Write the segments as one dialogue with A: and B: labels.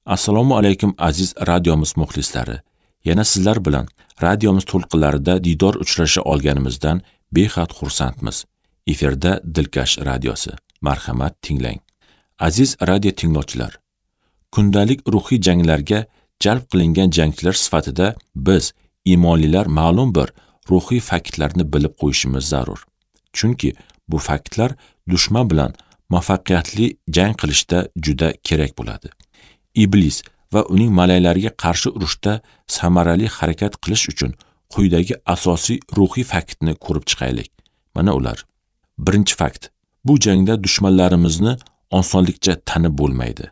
A: Assalomu alaykum aziz radiomiz muxlislari. Yana sizlar bilan radiomiz to'lqinlarida diydor uchrasha olganimizdan behad xursandmiz. Efirda Dilkash radiosi. Marhamat tinglang. Aziz radio tinglovchilar, kundalik ruhiy janglarga jalb qilingan jangchilar sifatida biz iymonlilar ma'lum bir ruhiy faktlarni bilib qo'yishimiz zarur. Chunki bu faktlar dushman bilan muvaffaqiyatli jang qilishda juda kerak bo'ladi. Iblis va uning malaylariga qarshi urushda samarali harakat qilish uchun quyidagi asosiy ruhiy faktni ko'rib chiqaylik. Mana ular. Birinchi fakt. Bu jangda dushmanlarimizni osonlikcha tanib bo'lmaydi.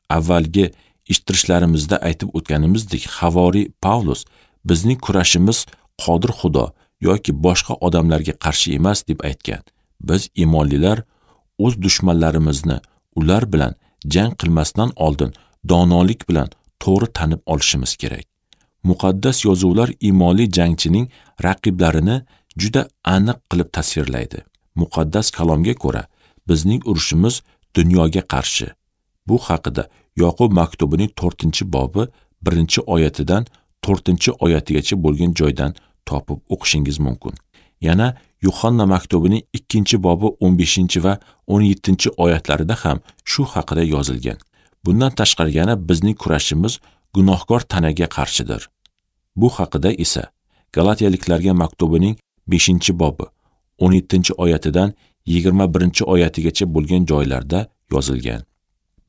A: Avvalgi eshittirishlarimizda aytib o'tganimizdek, havoriy Pavlus bizning kurashimiz qodir Xudo yoki boshqa odamlarga qarshi emas deb aytgan. Biz iymonlilar o'z dushmanlarimizni ular bilan jang qilmasdan oldin donolik bilan to'g'ri tanib olishimiz kerak. Muqaddas yozuvlar iymonli jangchining raqiblarini juda aniq qilib tasvirlaydi. Muqaddas kalomga ko'ra, bizning urushimiz dunyoga qarshi. Bu haqida Yoqub maktubining 4-bobi 1-oyatidan 4-oyatigacha bo'lgan joydan topib o'qishingiz mumkin. Yana Yuhanna maktubining 2-bobi 15 va 17-oyatlarida ham shu haqida yozilgan. Bundan tashqari yana bizning kurashimiz gunohkor tanaga qarshidir. Bu haqida esa Galatiyaliklarga maktubining 5-bobi 17-oyatidan 21-oyatigacha bo'lgan joylarda yozilgan.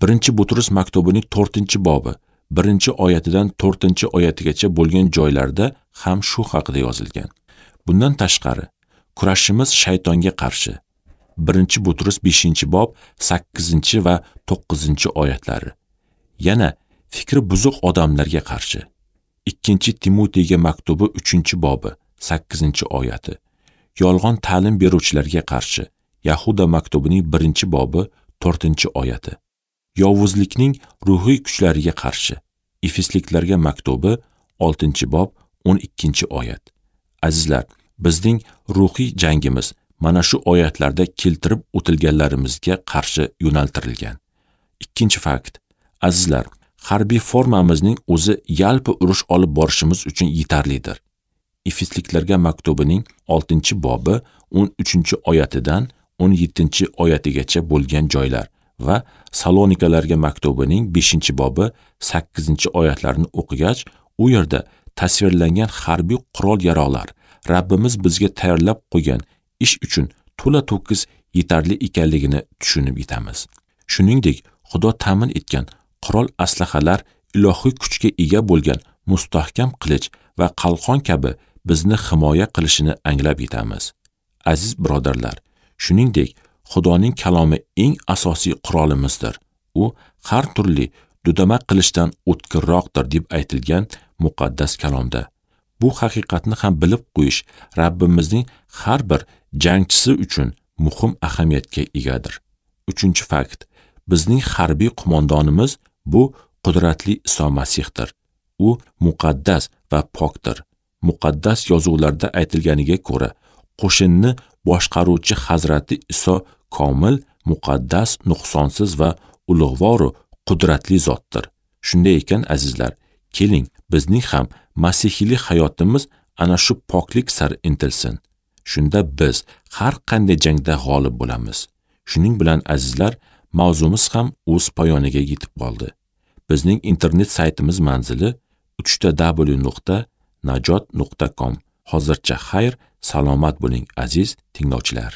A: 1-Butrus maktubining 4-bobi 1-oyatidan 4-oyatigacha bo'lgan joylarda ham shu haqida yozilgan. Bundan tashqari, kurashimiz shaytonga qarshi. 1-Butrus 5-bob 8 va 9-oyatlari. Yana fikri buzuq odamlarga qarshi. 2-Timoteyga maktubi 3-bobi 8-oyati. Yolg'on ta'lim beruvchilarga qarshi. Yahuda maktubining 1-bobi 4-oyati. Yovuzlikning ruhiy kuchlariga qarshi. Efesliklarga maktubi 6-bob 12-oyat. Azizlar, bizning ruhiy jangimiz mana shu oyatlarda keltirib o'tilganlarimizga qarshi yo'naltirilgan. Ikkinchi fakt. Azizlar, harbiy formamizning o'zi yalpi urush olib borishimiz uchun yetarlidir. Efesliklarga maktubining 6-bobi 13-oyatidan 17-oyatigacha bo'lgan joylar va Salonikalarga maktubining 5-bobi 8-oyatlarini o'qigach, u yerda tasvirlangan harbiy qurol-yarog'lar Rabbimiz bizga tayyorlab qo'ygan ish uchun to'la-to'kis yetarli ekanligini tushunib yetamiz. Shuningdek, Xudo ta'min etgan qurol aslahalar ilohiy kuchga ega bo'lgan mustahkam qilich va qalqon kabi bizni himoya qilishini anglab yetamiz. Aziz birodarlar, shuningdek, Xudoning kalomi eng asosiy qurolimizdir. U har turli dudama qilishdan o'tkirroqdir deb aytilgan muqaddas kalomda. Bu haqiqatni ham bilib qo'yish Rabbimizning har bir jangchisi uchun muhim ahamiyatga egadir. 3-fakt. Bizning harbiy qo'mondonimiz bu qudratli Iso Masihdir. U muqaddas va pokdir. Muqaddas yozuvlarda aytilganiga ko'ra, qo'shinni boshqaruvchi Hazrati Iso komil, muqaddas, nuqsonsiz va ulug'vor qudratli zotdir. Shunday ekan azizlar, keling bizning ham masihiylik hayotimiz ana shu poklik sari intilsin. Shunda biz har qanday jangda g'olib bo'lamiz. Shuning bilan azizlar, mavzumiz ham o'z poyoniga yetib qoldi. Bizning internet saytimiz manzili www.najot.com. Hozircha xayr, salomat bo'ling aziz tinglovchilar.